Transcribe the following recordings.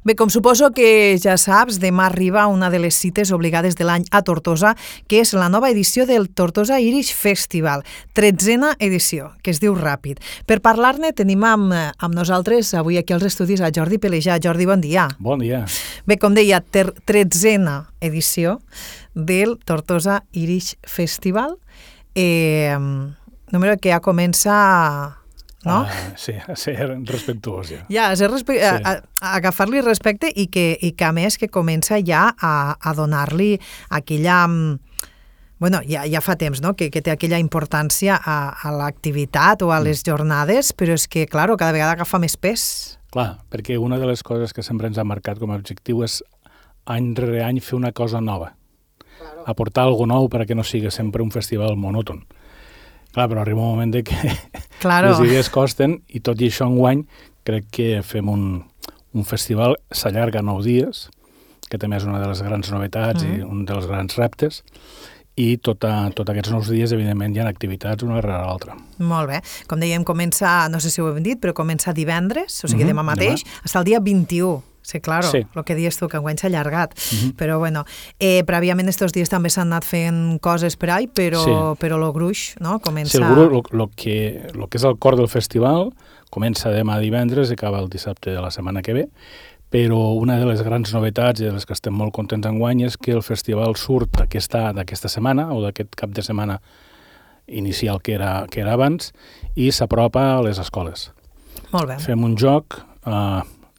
Bé, com suposo que ja saps, demà arriba una de les cites obligades de l'any a Tortosa, que és la nova edició del Tortosa Irish Festival, 13a edició, que es diu Ràpid. Per parlar-ne tenim amb nosaltres avui aquí als estudis a Jordi Pelejà. Jordi, bon dia. Bon dia. Bé, com deia, 13a edició del Tortosa Irish Festival, número que ja comença... No? Sí, a ser respectuós ja. Ja, a agafar-li respecte i que a més que comença ja a donar-li aquella... Bueno, ja fa temps, no?, que té aquella importància a l'activitat o a les jornades, però és que, clar, cada vegada agafa més pes. Clar, perquè una de les coses que sempre ens ha marcat com a objectiu és any rere any fer una cosa nova. Claro. Aportar alguna nou perquè no sigui sempre un festival monòton. Clar, però arriba un moment de que les idees costen i tot i això enguany crec que fem un festival, s'allarga 9 dies, que també és una de les grans novetats i un dels grans reptes, i tots aquests 9 dies, evidentment, hi ha activitats una darrere l'altra. Molt bé. Com dèiem, comença, no sé si ho hem dit, però comença divendres, o sigui, demà mateix, fins al dia 21. Sí, claro, sí. Lo que dius tu, que enguany s'ha allargat. Però, bueno, prèviament estos dies també s'han anat fent coses per ahí, però lo gruix, no?, comença... Sí, el gruix, lo que és el cor del festival, comença demà divendres i acaba el dissabte de la setmana que ve, però una de les grans novetats i de les que estem molt contents enguany és que el festival surt d'aquesta setmana o d'aquest cap de setmana inicial que era abans i s'apropa a les escoles. Molt bé. Fem un joc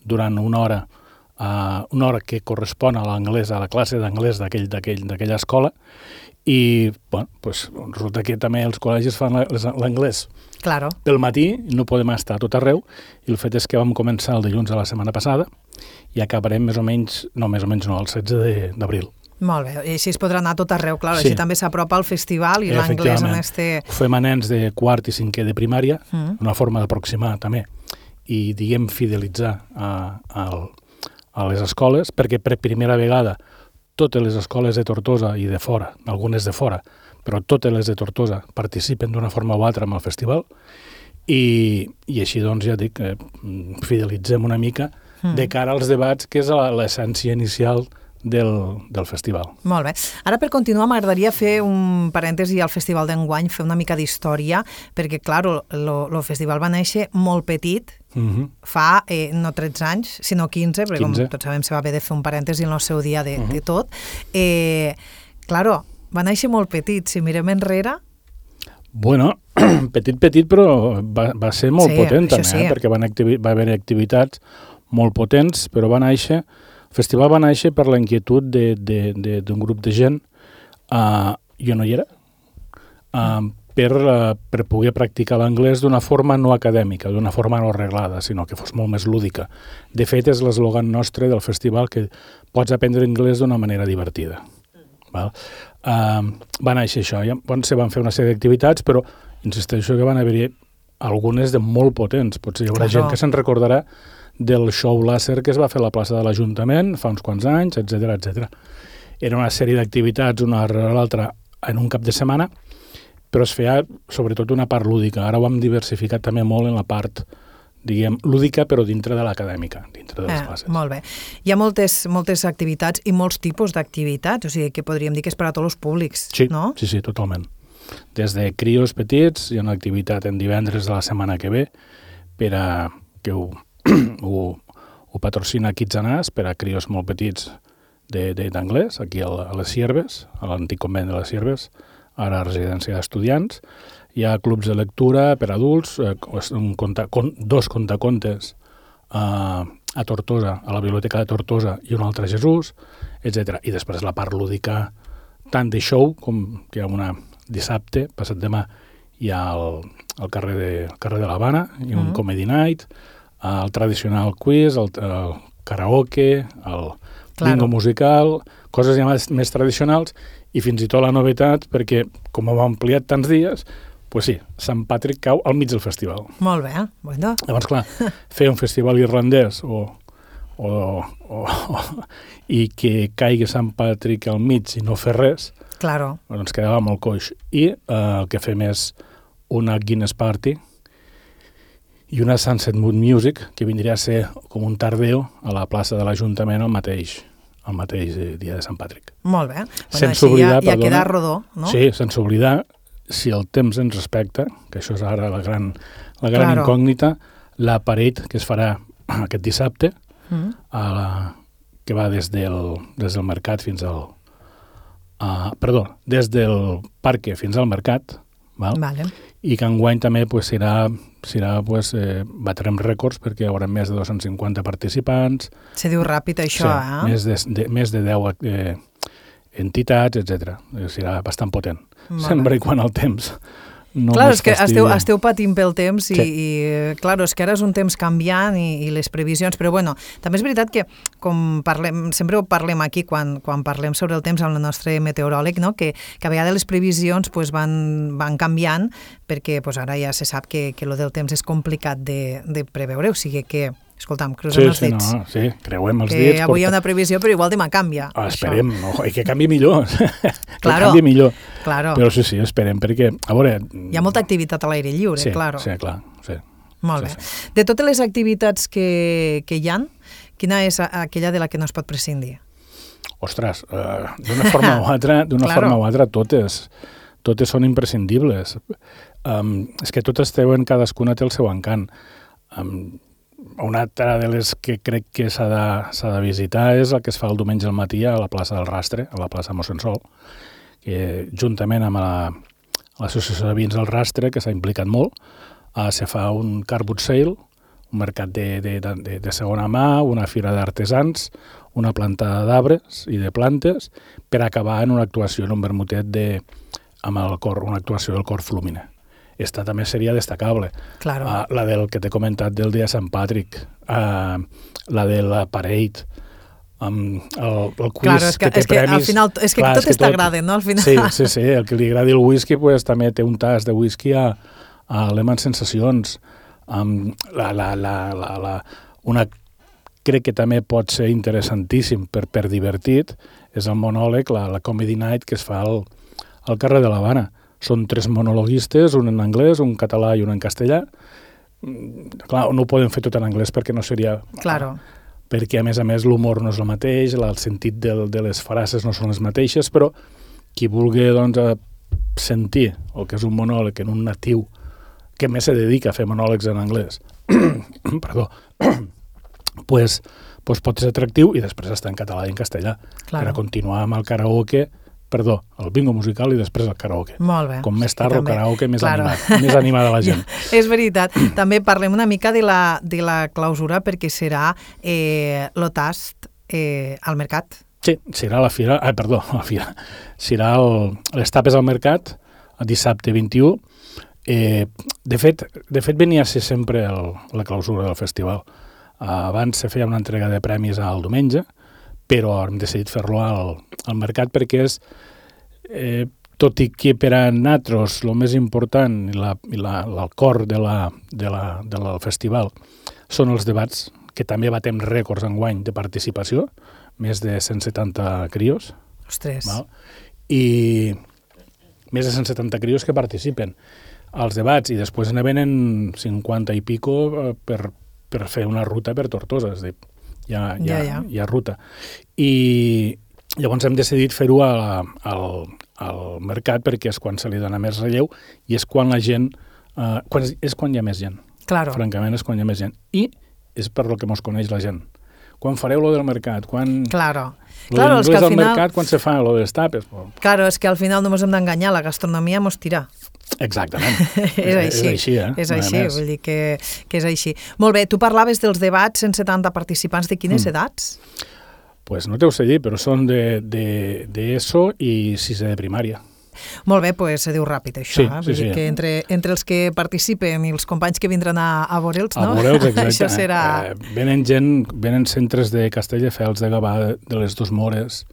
durant una hora que correspon a l'anglès, a la classe d'anglès d'aquella escola, i bueno, pues, resulta que també els col·legis fan l'anglès pel matí, no podem estar a tot arreu, i el fet és que vam començar el dilluns de la setmana passada i acabarem el 16 d'abril. Molt bé, i així es podrà anar a tot arreu, clar, així també s'apropa al festival i l'anglès en este... Ho fem a nens de quart i cinquè de primària, una forma d'aproximar també, i diguem fidelitzar a les escoles, perquè per primera vegada totes les escoles de Tortosa i de fora, algunes de fora, però totes les de Tortosa participen d'una forma o altra amb el festival i així doncs ja dic, fidelitzem una mica de cara als debats, que és l'essència inicial del festival. Molt bé. Ara, per continuar, m'agradaria fer un parèntesi al festival d'enguany, fer una mica d'història, perquè, clar, el festival va néixer molt petit, fa no 13 anys, sinó 15, perquè com tots sabem se va haver de fer un parèntesi en el seu dia de tot. Clar, va néixer molt petit, si mirem enrere... Bueno, petit, però va ser molt potent també, perquè va haver activitats molt potents, però va néixer... El festival va néixer per la inquietud d'un grup de gent, jo no hi era, per poder practicar l'anglès d'una forma no acadèmica, d'una forma no arreglada, sinó que fos molt més lúdica. De fet, és l'eslògan nostre del festival, que pots aprendre anglès d'una manera divertida. Va néixer això, se van fer una sèrie d'activitats, però insisteixo que van haver-hi algunes de molt potents. Potser hi haurà gent que se'n recordarà del show làser que es va fer a la plaça de l'Ajuntament fa uns quants anys, etc. Era una sèrie d'activitats una darrere l'altra en un cap de setmana, però es feia sobretot una part lúdica. Ara ho hem diversificat també molt en la part, diguem, lúdica, però dintre de l'acadèmica, dintre de les classes. Molt bé. Hi ha moltes activitats i molts tipus d'activitats, o sigui que podríem dir que és per a tots els públics, no? Sí, totalment. Des de crios petits, hi ha una activitat en divendres de la setmana que ve per a que ho patrocina Kids and Us per a crios molt petits d'anglès, aquí a les Sierves, a l'antic convent de les Sierves, ara a residència d'estudiants. Hi ha clubs de lectura per a adults, 2 contacontes a Tortosa, a la Biblioteca de Tortosa i un altre a Jesús, etc. I després la part lúdica, tant de show com que hi ha una dissabte, passat demà, hi ha al carrer de l'Havana, i un comedy night, el tradicional quiz, el karaoke, el bingo musical, coses ja més tradicionals, i fins i tot la novetat, perquè com ho hem ampliat tants dies, doncs sí, Sant Patrick cau al mig del festival. Molt bé, bueno. Llavors, clar, fer un festival irlandès i que caigui Sant Patrick al mig i no fer res, doncs quedava molt coix. I el que fem és una Guinness Party, i una Sunset Mood Music, que vindria a ser com un tardeo a la plaça de l'Ajuntament el mateix dia de Sant Patrick. Molt bé. Sense oblidar, ja queda rodó, no? Sí, sense oblidar, si el temps ens respecta, que això és ara la gran incògnita, la parade que es farà aquest dissabte, que va des del mercat fins al... des del parc fins al mercat, val? Vale. I que enguany també batrem rècords perquè hi haurà més de 250 participants. Se diu ràpid això, Més de 10 entitats, etc. Serà bastant potent. Sempre i quan el temps no clar, és que fastidia. esteu patint pel temps i clar, és que ara és un temps canviant i les previsions, però bueno, també és veritat que com sempre ho parlem aquí quan parlem sobre el temps amb el nostre meteoròleg, no? que a vegades les previsions van canviant perquè ara ja se sap que lo del temps és complicat de preveure, o sigui que escolta'm, cruzem els dits. Sí, creuem els dits. dits. Avui hi ha una previsió, però igual demà canvia. Esperem, i que canvi millor. Claro, que canvi millor. Claro. Però sí, esperem, perquè, a veure... Hi ha molta activitat a l'aire lliure, claro. Sí, clar. Sí. Molt bé. Sí. De totes les activitats que hi ha, quina és aquella de la que no es pot prescindir? Ostres, d'una forma o altra, totes són imprescindibles. És que totes cadascuna té el seu encant. Una altra de les que crec que s'ha de visitar és el que es fa el diumenge al matí a la plaça del Rastre, a la plaça Mossèn Sol, que juntament amb l'associació de vins del Rastre, que s'ha implicat molt, se fa un car boot sale, un mercat de segona mà, una fira d'artesans, una plantada d'arbres i de plantes, per acabar en una actuació en un vermutet amb el cor, una actuació del cor Flumine. Esta també seria destacable. Claro. La del que t'he comentat del dia de Sant Patrick, la de la parade, el quiz que té premis. Al final, és que totes t'agraden, no? Al final. Sí, el que li agradi el whisky també té un tas de whisky a Lehmann Sensacions. Una crec que també pot ser interessantíssim per divertit, és el monòleg, la Comedy Night que es fa al carrer de l'Havana. Són 3 monologuistes, un en anglès, un català i un en castellà. Clar, no ho podem fer tot en anglès perquè no seria... Claro. Perquè, a més, l'humor no és el mateix, el sentit de les frases no són les mateixes, però qui vulgui sentir el que és un monòleg en un natiu que més se dedica a fer monòlegs en anglès, perdó, pues pot ser atractiu i després està en català i en castellà. Claro. Per a continuar amb el karaoke, el bingo musical i després el karaoke. Molt bé. Com més tard el karaoke, més animada la gent. És veritat. També parlem una mica de la clausura perquè serà l'Otast al mercat. Sí, serà la fira, serà les tapes al mercat el dissabte 21. De fet, venia a ser sempre la clausura del festival. Abans se feia una entrega de premis al diumenge, però hem decidit fer-lo al mercat perquè és, tot i que per a nosaltres el més important i el cor del festival són els debats, que també batem rècords enguany de participació, més de 170 crios. Ostres. Val? I més de 170 crios que participen als debats i després ne venen 50 i pico per fer una ruta per Tortosa, és a dir, hi ha ruta. I llavors hem decidit fer-ho al mercat perquè és quan se li dona més relleu i és quan la gent... és quan hi ha més gent. Claro. Francament, és quan hi ha més gent. I és per lo que mos coneix la gent. Quan fareu lo del mercat? Claro. Lo d'inglès al mercat, quan se fa lo de les tapes? Claro, és que al final no ens hem d'enganyar, la gastronomia mos tira. Exactament. És així, És així, vull dir que és així. Molt bé, tu parlaves dels debats, 170 participants, de quines edats? Pues no t'ho sé dir, però són d'ESO i 6è de primària. Molt bé, pues se diu ràpid això. Sí, Vull dir que entre els que participen i els companys que vindran a veure'ls, no? A veure'ls, exacte. Això serà... Venen centres de Castelldefels, de Gavà, de les Dos Mores,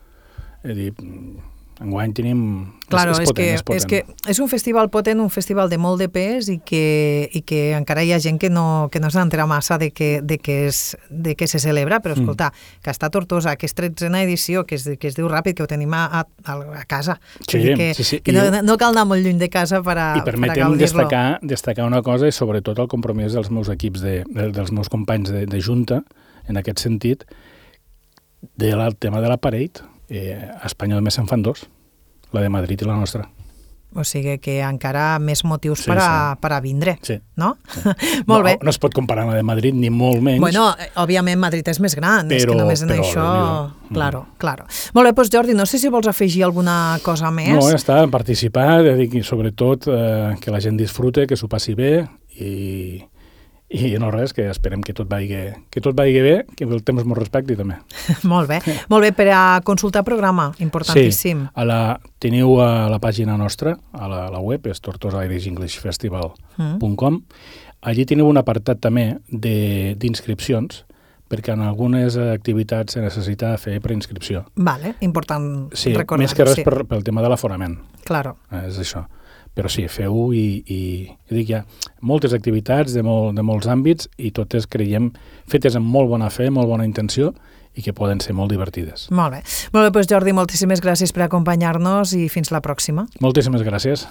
Enguany tenim... Claro, és que és un festival potent, un festival de molt de pes i que encara hi ha gent que no se n'entera massa de què se celebra, però escolta, que està a Tortosa, que és 13a edició, que es diu ràpid, que ho tenim a casa. Sí. Que no cal anar molt lluny de casa per a gaudir-lo. I permetem destacar una cosa, i sobretot el compromís dels meus equips, dels meus companys de junta, en aquest sentit, del tema de la Parade. A Espanya només se'n fan 2, la de Madrid i la nostra. O sigui que encara més motius per a vindre, no? Molt bé. No es pot comparar amb la de Madrid, ni molt menys. Bueno, òbviament Madrid és més gran, és que només en això... Claro. Molt bé, doncs Jordi, no sé si vols afegir alguna cosa més. No, ja està, participar, sobretot que la gent disfrute, que s'ho passi bé i no res, que esperem que tot vagi bé, que el temps m'ho respecti també. Molt bé, per a consultar programa, importantíssim. Sí, teniu a la pàgina nostra, a la web, és tortosairishfestival.com. Allí teniu un apartat també d'inscripcions, perquè en algunes activitats se necessita fer preinscripció. Vale, important recordar. Més que res pel tema de l'aforament. Claro. És això. Però sí, feu-ho i dic, hi ha moltes activitats de molts àmbits i totes creiem fetes amb molt bona fe, molt bona intenció i que poden ser molt divertides. Molt bé, doncs Jordi, moltíssimes gràcies per acompanyar-nos i fins la pròxima. Moltíssimes gràcies.